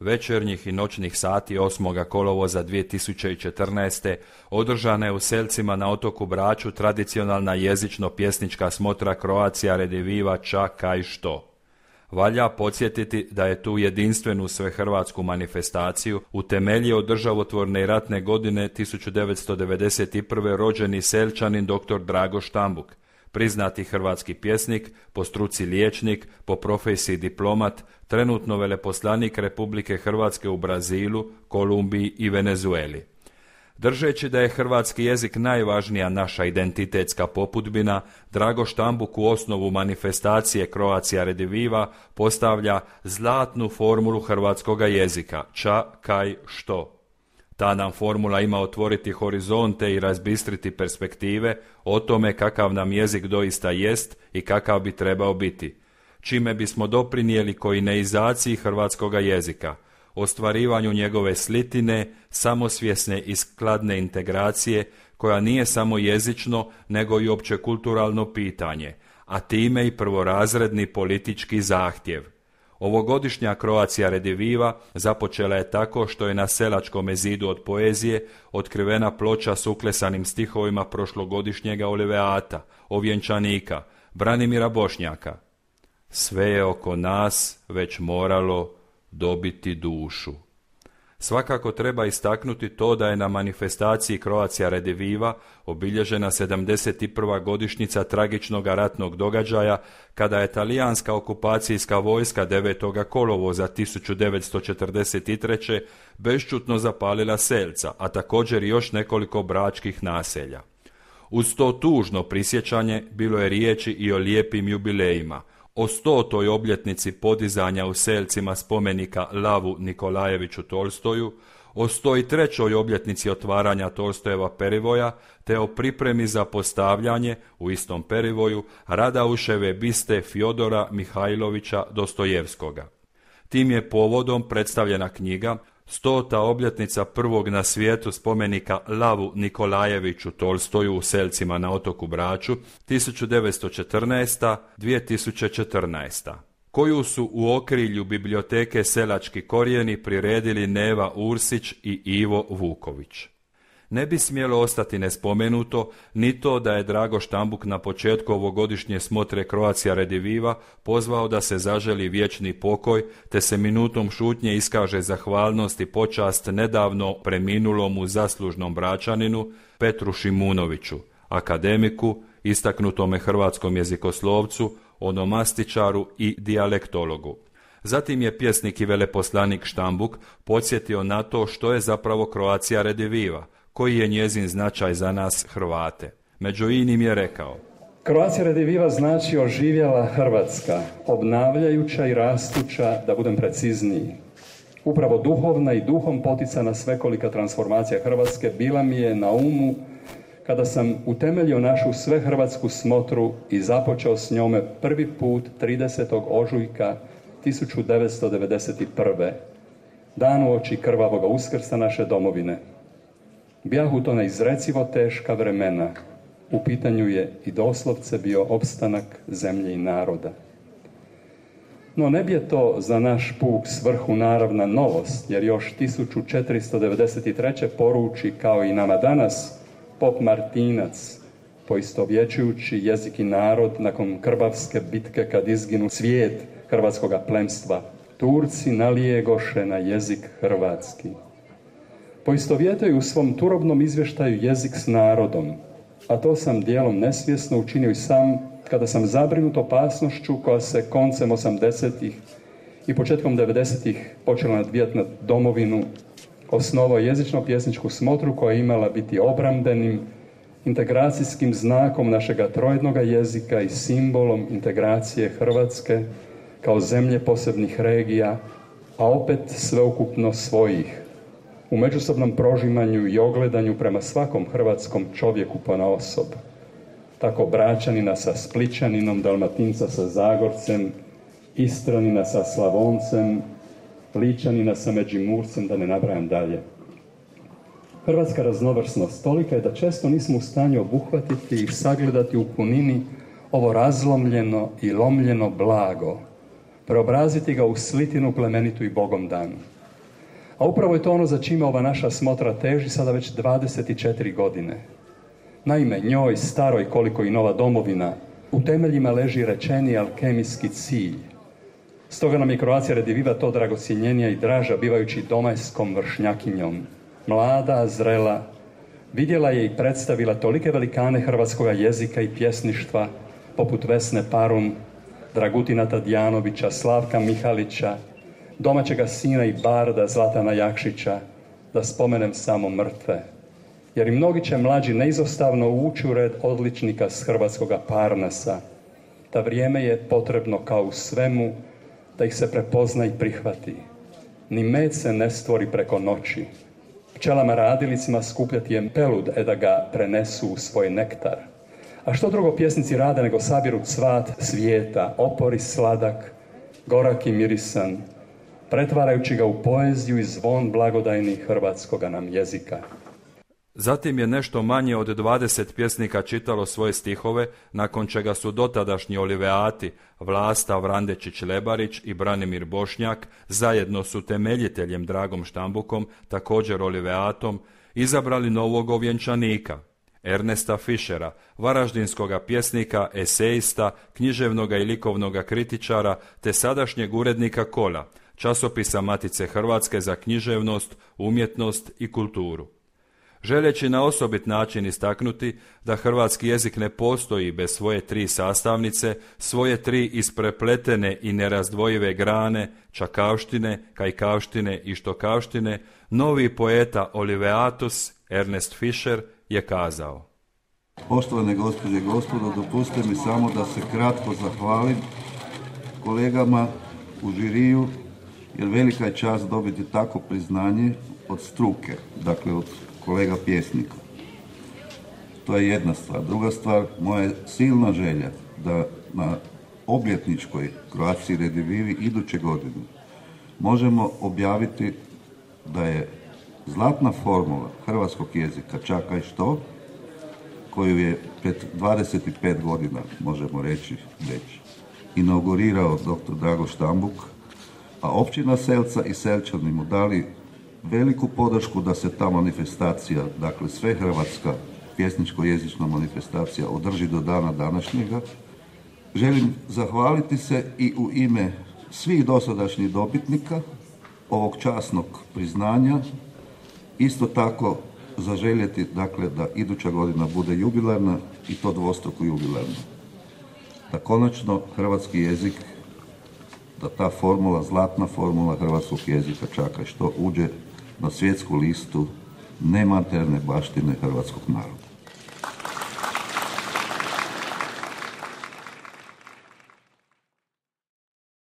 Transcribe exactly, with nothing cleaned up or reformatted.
večernjih i noćnih sati osmog kolovoza dvije tisuće četrnaeste. održana je u Selcima na otoku Braču tradicionalna jezično-pjesnička smotra Croatia Rediviva Ča kaj što. Valja podsjetiti da je tu jedinstvenu svehrvatsku manifestaciju utemeljio državotvorne i ratne godine tisuću devetsto devedeset prve. rođeni Selčanin dr. Drago Štambuk, priznati hrvatski pjesnik, po struci liječnik, po profesiji diplomat, trenutno veleposlanik Republike Hrvatske u Brazilu, Kolumbiji i Venezueli. Držeći da je hrvatski jezik najvažnija naša identitetska popudbina, Drago Štambuk u osnovu manifestacije Croatia Rediviva postavlja zlatnu formulu hrvatskoga jezika, ča, kaj, što. Ta nam formula ima otvoriti horizonte i razbistriti perspektive o tome kakav nam jezik doista jest i kakav bi trebao biti, čime bismo doprinijeli koineizaciji hrvatskoga jezika, ostvarivanju njegove slitine, samosvjesne i skladne integracije, koja nije samo jezično, nego i općekulturalno pitanje, a time i prvorazredni politički zahtjev. Ovogodišnja Croatia Rediviva započela je tako što je na Selačkom zidu od poezije otkrivena ploča s uklesanim stihovima prošlogodišnjega Oliveata, ovjenčanika, Branimira Bošnjaka. Sve je oko nas već moralo dobiti dušu. Svakako treba istaknuti to da je na manifestaciji Croatia Rediviva obilježena sedamdeset prva godišnjica tragičnog ratnog događaja kada je talijanska okupacijska vojska devetog kolovoza tisuću devetsto četrdeset treće. bešćutno zapalila Selca, a također i još nekoliko bračkih naselja. Uz to tužno prisjećanje bilo je riječi i o lijepim jubilejima, o stotoj obljetnici podizanja u Selcima spomenika Lavu Nikolajeviću Tolstoju, o sto trećoj obljetnici otvaranja Tolstojeva perivoja, te o pripremi za postavljanje u istom perivoju Radauševe biste Fjodora Mihajlovića Dostojevskoga. Tim je povodom predstavljena knjiga Stota obljetnica prvog na svijetu spomenika Lavu Nikolajeviću Tolstoju u Selcima na otoku Braču tisuću devetsto četrnaeste do dvije tisuće četrnaeste. koju su u okrilju biblioteke Selački korijeni priredili Neva Ursić i Ivo Vuković. Ne bi smjelo ostati nespomenuto ni to da je Drago Štambuk na početku ovogodišnje smotre Croatia Rediviva pozvao da se zaželi vječni pokoj, te se minutom šutnje iskaže zahvalnost i počast nedavno preminulomu zaslužnom Bračaninu Petru Šimunoviću, akademiku, istaknutome hrvatskom jezikoslovcu, onomastičaru i dijalektologu. Zatim je pjesnik i veleposlanik Štambuk podsjetio na to što je zapravo Croatia Rediviva, koji je njezin značaj za nas Hrvate. Među inim je rekao: Croatia Rediviva znači oživjela Hrvatska, obnavljajuća i rastuća, da budem precizniji. Upravo duhovna i duhom poticana svekolika transformacija Hrvatske bila mi je na umu kada sam utemeljio našu svehrvatsku smotru i započeo s njome prvi put tridesetog ožujka tisuću devetsto devedeset prve. dan uoči krvavoga uskrsa naše domovine. Bjahu to neizrecivo teška vremena. U pitanju je i doslovce bio opstanak zemlje i naroda. No ne bi je to za naš puk svrhu naravna novost, jer još tisuću četiristo devedeset treće poruči, kao i nama danas, pop Martinac, poistovjećujući jezik i narod nakon krbavske bitke kad izginu svijet hrvatskoga plemstva. Turci nalijegoše na jezik hrvatski. Poistovjetaju u svom turobnom izvještaju jezik s narodom, a to sam dijelom nesvjesno učinio i sam kada sam zabrinut opasnošću koja se koncem osamdesetih i početkom devedesetih počela nadvijati na domovinu, osnovao jezično-pjesničku smotru koja je imala biti obrambenim, integracijskim znakom našega trojednoga jezika i simbolom integracije Hrvatske kao zemlje posebnih regija, a opet sveukupno svojih, u međusobnom prožimanju i ogledanju prema svakom hrvatskom čovjeku ponaosob. Tako Bračanina sa Spličaninom, Dalmatinca sa Zagorcem, Istranina sa Slavoncem, Ličanina sa Međimurcem, da ne nabrajam dalje. Hrvatska raznovrsnost tolika je da često nismo u stanju obuhvatiti i sagledati u punini ovo razlomljeno i lomljeno blago, preobraziti ga u slitinu plemenitu i Bogom danu. A upravo je to ono za čime ova naša smotra teži sada već dvadeset četiri godine. Naime, njoj, staroj koliko i nova domovina, u temeljima leži rečeni alkemijski cilj. Stoga nam je Croatia Rediviva to dragocjenjenija i draža, bivajući domajskom vršnjakinjom. Mlada, zrela, vidjela je i predstavila tolike velikane hrvatskoga jezika i pjesništva, poput Vesne Parum, Dragutina Tadjanovića, Slavka Mihalića, domaćega sina i barda Zlatana Jakšića, da spomenem samo mrtve. Jer i mnogi će mlađi neizostavno ući u red odličnika s hrvatskoga Parnasa. Ta vrijeme je potrebno kao u svemu da ih se prepozna i prihvati. Ni med se ne stvori preko noći. Pčelama radilicima skupljati je pelud, e da ga prenesu u svoj nektar. A što drugo pjesnici rade nego sabiru cvat svijeta, opori sladak, gorak i mirisan, pretvarajući ga u poeziju i zvon blagodajni hrvatskoga nam jezika. Zatim je nešto manje od dvadeset pjesnika čitalo svoje stihove, nakon čega su dotadašnji oliveati Vlasta Vrandečić-Lebarić i Branimir Bošnjak zajedno s utemeljiteljem Dragom Štambukom, također oliveatom, izabrali novog ovjenčanika, Ernesta Fischera, varaždinskoga pjesnika, esejista, književnoga i likovnoga kritičara, te sadašnjeg urednika Kola, časopisa Matice Hrvatske za književnost, umjetnost i kulturu. Želeći na osobit način istaknuti da hrvatski jezik ne postoji bez svoje tri sastavnice, svoje tri isprepletene i nerazdvojive grane, čakavštine, kajkavštine i štokavštine, novi poeta Oliveatus Ernest Fischer je kazao: Poštovane gospođe i gospodo, dopustite mi samo da se kratko zahvalim kolegama u žiriju, jer velika je čast dobiti tako priznanje od struke, dakle od kolega pjesnika. To je jedna stvar. Druga stvar, moja je silna želja da na obljetničkoj Croatia Redivivi iduće godine možemo objaviti da je zlatna formula hrvatskog jezika Čakaj što, koju je pred dvadeset pet godina, možemo reći, već inaugurirao doktor Drago Štambuk, a općina Selca i Selčani mu dali veliku podršku da se ta manifestacija, dakle sve hrvatska pjesničko-jezična manifestacija održi do dana današnjega. Želim zahvaliti se i u ime svih dosadašnjih dobitnika ovog časnog priznanja, isto tako zaželjeti, dakle, da iduća godina bude jubilarna i to dvostruko jubilarna. Da konačno hrvatski jezik, da ta formula, zlatna formula hrvatskog jezika Čakaj što uđe na svjetsku listu nematerne baštine hrvatskog naroda.